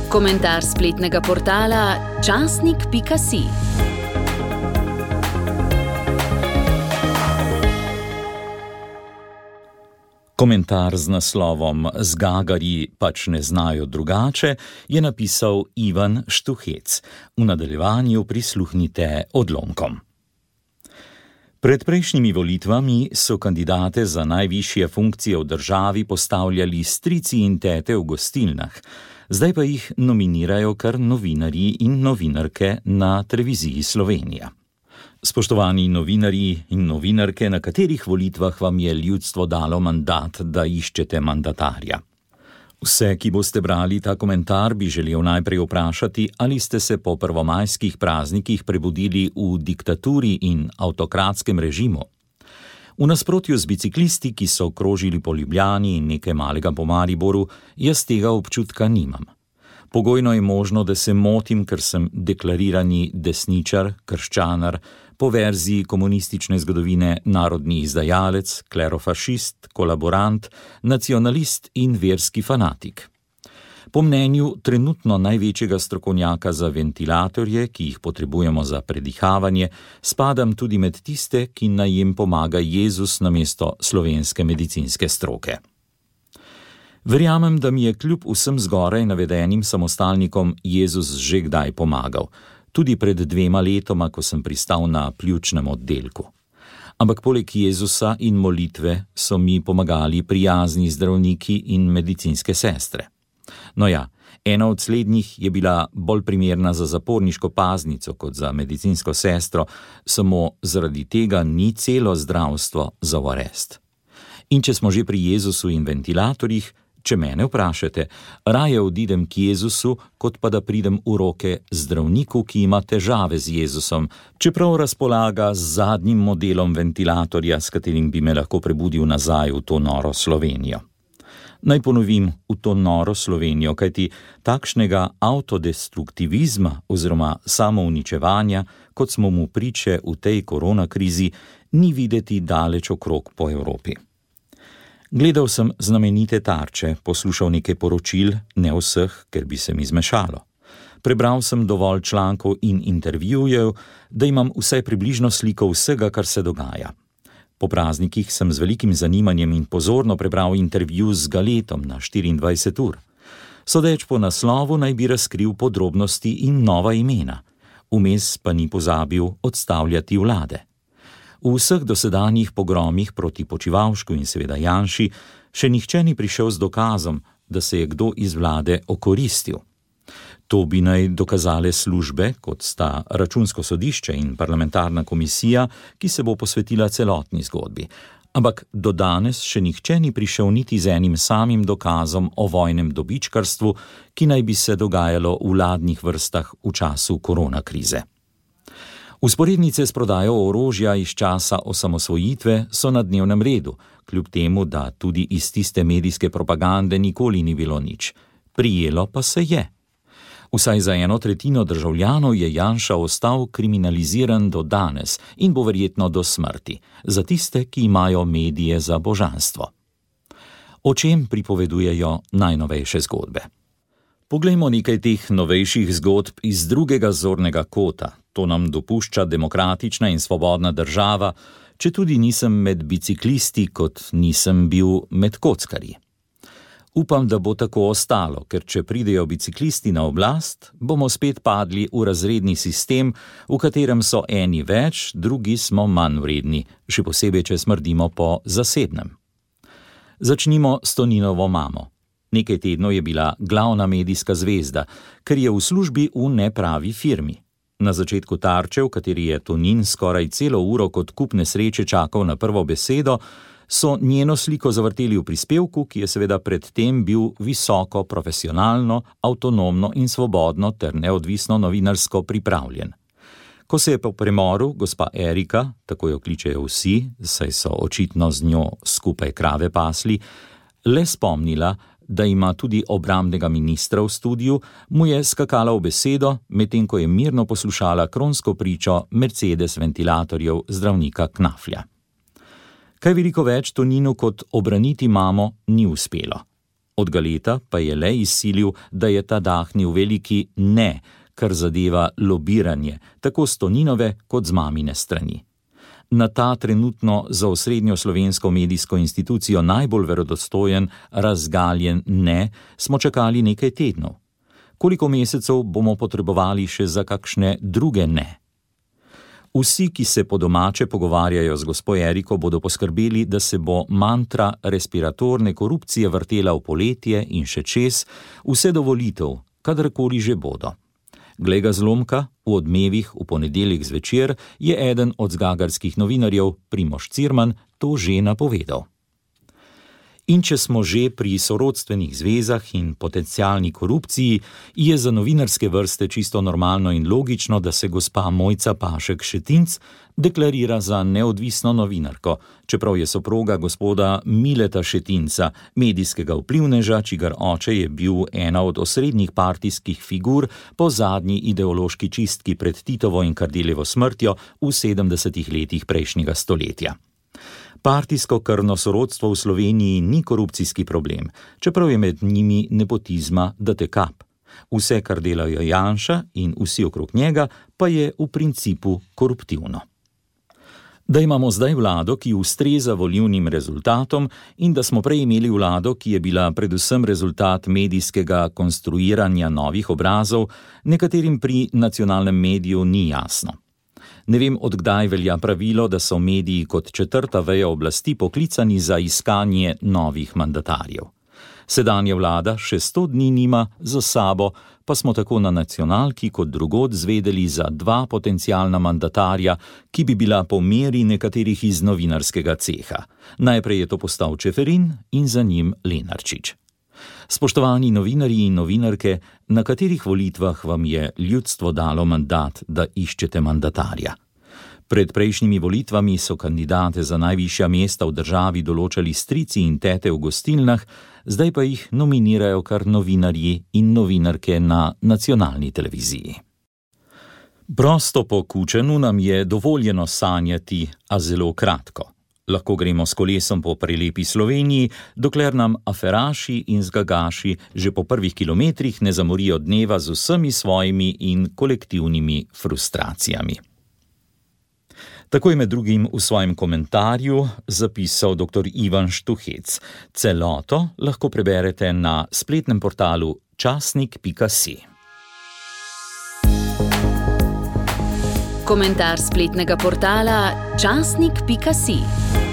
Komentar spletnega portala časnik.si. Komentar z naslovom "Zgagarji pač ne znajo drugače" je napisal Ivan Štuhec. V nadaljevanju prisluhnite odlomkom. Pred prejšnjimi volitvami so kandidate za najvišje funkcije v državi postavljali strici in tete v gostilnah, zdaj pa jih nominirajo kar novinarji in novinarke na televiziji Slovenija. Spoštovani novinarji in novinarke, na katerih volitvah vam je ljudstvo dalo mandat, da iščete mandatarja? Vse, ki boste brali ta komentar, bi želel najprej vprašati, ali ste se po prvomajskih praznikih prebudili v diktaturi in avtokratskem režimu. V nasprotju z biciklisti, ki so krožili po Ljubljani in nekaj malega po Mariboru, jaz tega občutka nimam. Pogojno je možno, da se motim, ker sem deklarirani desničar, krščanar, po verziji komunistične zgodovine narodni izdajalec, klerofašist, kolaborant, nacionalist in verski fanatik. Po mnenju trenutno največjega strokovnjaka za ventilatorje, ki jih potrebujemo za predihavanje, spadam tudi med tiste, ki naj jim pomaga Jezus namesto slovenske medicinske stroke. Verjamem, da mi je kljub vsem zgoraj navedenim samostalnikom Jezus že kdaj pomagal, tudi pred 2 letoma, ko sem pristal na pljučnem oddelku. Ampak poleg Jezusa in molitve so mi pomagali prijazni zdravniki in medicinske sestre. No ja, ena od slednjih je bila bolj primerna za zaporniško paznico kot za medicinsko sestro, samo zaradi tega ni celo zdravstvo za arest. In če smo že pri Jezusu in ventilatorjih, če mene vprašate, raje odidem k Jezusu, kot pa da pridem v roke zdravniku, ki ima težave z Jezusom, čeprav razpolaga z zadnjim modelom ventilatorja, s katerim bi me lahko prebudil nazaj v to noro Slovenijo. Naj ponovim, v to noro Slovenijo, kajti takšnega avtodestruktivizma oziroma samouničevanja, kot smo mu priče v tej koronakrizi, ni videti daleč okrog po Evropi. Gledal sem znamenite Tarče, poslušal nekaj poročil, ne vseh, ker bi se mi zmešalo. Prebral sem dovolj člankov in intervjujev, da imam vsaj približno sliko vsega, kar se dogaja. Po praznikih sem z velikim zanimanjem in pozorno prebral intervju z Galetom na 24 ur. Sodeč po naslovu naj bi razkril podrobnosti in nova imena. Vmes pa ni pozabil odstavljati vlade. V vseh dosedanjih pogromih proti Počivalšku in seveda Janši še nihče ni prišel z dokazom, da se je kdo iz vlade okoristil. To bi naj dokazale službe, kot sta Računsko sodišče in parlamentarna komisija, ki se bo posvetila celotni zgodbi. Ampak do danes še nihče ni prišel niti z enim samim dokazom o vojnem dobičkarstvu, ki naj bi se dogajalo v vladnih vrstah v času koronakrize. Vzporednice s prodajo orožja iz časa osamosvojitve so na dnevnem redu, kljub temu, da tudi iz tiste medijske propagande nikoli ni bilo nič. Prijelo pa se je. Vsaj za 1/3 državljanov je Janša ostal kriminaliziran do danes in bo verjetno do smrti, za tiste, ki imajo medije za božanstvo. O čem pripovedujejo najnovejše zgodbe? Poglejmo nekaj teh novejših zgodb iz drugega zornega kota. To nam dopušča demokratična in svobodna država, če tudi nisem med biciklisti, kot nisem bil med kockarji. Upam, da bo tako ostalo, ker če pridejo biciklisti na oblast, bomo spet padli v razredni sistem, v katerem so eni več, drugi smo manj vredni, še posebej, če smrdimo po zasebnem. Začnimo s Toninovo mamo. Nekaj tednov je bila glavna medijska zvezda, ker je v službi v nepravi firmi. Na začetku Tarče, v kateri je Tonin skoraj celo uro kot kup nesreče čakal na prvo besedo, so njeno sliko zavrteli v prispevku, ki je seveda predtem bil visoko, profesionalno, avtonomno in svobodno ter neodvisno novinarsko pripravljen. Ko se je po premoru gospa Erika, tako jo kličejo vsi, saj so očitno z njo skupaj krave pasli, le spomnila, da ima tudi obrambnega ministra v studiu, mu je skakala v besedo, medtem ko je mirno poslušala kronsko pričo Mercedes ventilatorjev zdravnika Knaflja. Kaj veliko več Toninu kot obraniti mamo ni uspelo. Od Galeta pa je le izsilil, da je ta dahnil veliki ne, kar zadeva lobiranje, tako s Toninove kot z mamine strani. Na ta trenutno za osrednjo slovensko medijsko institucijo najbolj verodostojen, razgaljen ne smo čakali nekaj tednov. Koliko mesecev bomo potrebovali še za kakšne druge ne? Vsi, ki se po domače pogovarjajo z gospo Eriko, bodo poskrbeli, da se bo mantra respiratorne korupcije vrtela v poletje in še čez, vse do volitev, kadarkoli že bodo. Glej ga zlomka, v Odmevih v ponedeljek zvečer je eden od zgagarskih novinarjev, Primož Cirman, to že napovedal. In če smo že pri sorodstvenih zvezah in potencialni korupciji, je za novinarske vrste čisto normalno in logično, da se gospa Mojca Pašek Šetinc deklarira za neodvisno novinarko, čeprav je soproga gospoda Mileta Šetinca, medijskega vplivneža, čigar oče je bil ena od osrednjih partijskih figur po zadnji ideološki čistki pred Titovo in Kardeljevo smrtjo v 70. letih prejšnjega stoletja. Partijsko krvno sorodstvo v Sloveniji ni korupcijski problem, čeprav je med njimi nepotizma da te kap. Vse, kar delajo Janša in vsi okrog njega, pa je v principu koruptivno. Da imamo zdaj vlado, ki ustreza volilnim rezultatom, in da smo prej imeli vlado, ki je bila predvsem rezultat medijskega konstruiranja novih obrazov, nekaterim pri nacionalnem mediju ni jasno. Ne vem, od kdaj velja pravilo, da so mediji kot četrta veja oblasti poklicani za iskanje novih mandatarjev. Sedanja vlada še 100 dni nima za sabo, pa smo tako na nacionalki kot drugod zvedeli za 2 potencialna mandatarja, ki bi bila po meri nekaterih iz novinarskega ceha. Najprej je to postal Čeferin in za njim Lenarčič. Spoštovani novinarji in novinarke, na katerih volitvah vam je ljudstvo dalo mandat, da iščete mandatarja? Pred prejšnjimi volitvami so kandidate za najvišja mesta v državi določali strici in tete v gostilnah, zdaj pa jih nominirajo kar novinarji in novinarke na nacionalni televiziji. Prosto po Kučanu nam je dovoljeno sanjati, a zelo kratko. Lahko gremo s kolesom po prelepi Sloveniji, dokler nam aferaši in zgagaši že po prvih kilometrih ne zamorijo dneva z vsemi svojimi in kolektivnimi frustracijami. Tako je med drugim v svojem komentarju zapisal dr. Ivan Štuhec. Celoto lahko preberete na spletnem portalu časnik.si. Komentar spletnega portala časnik.si.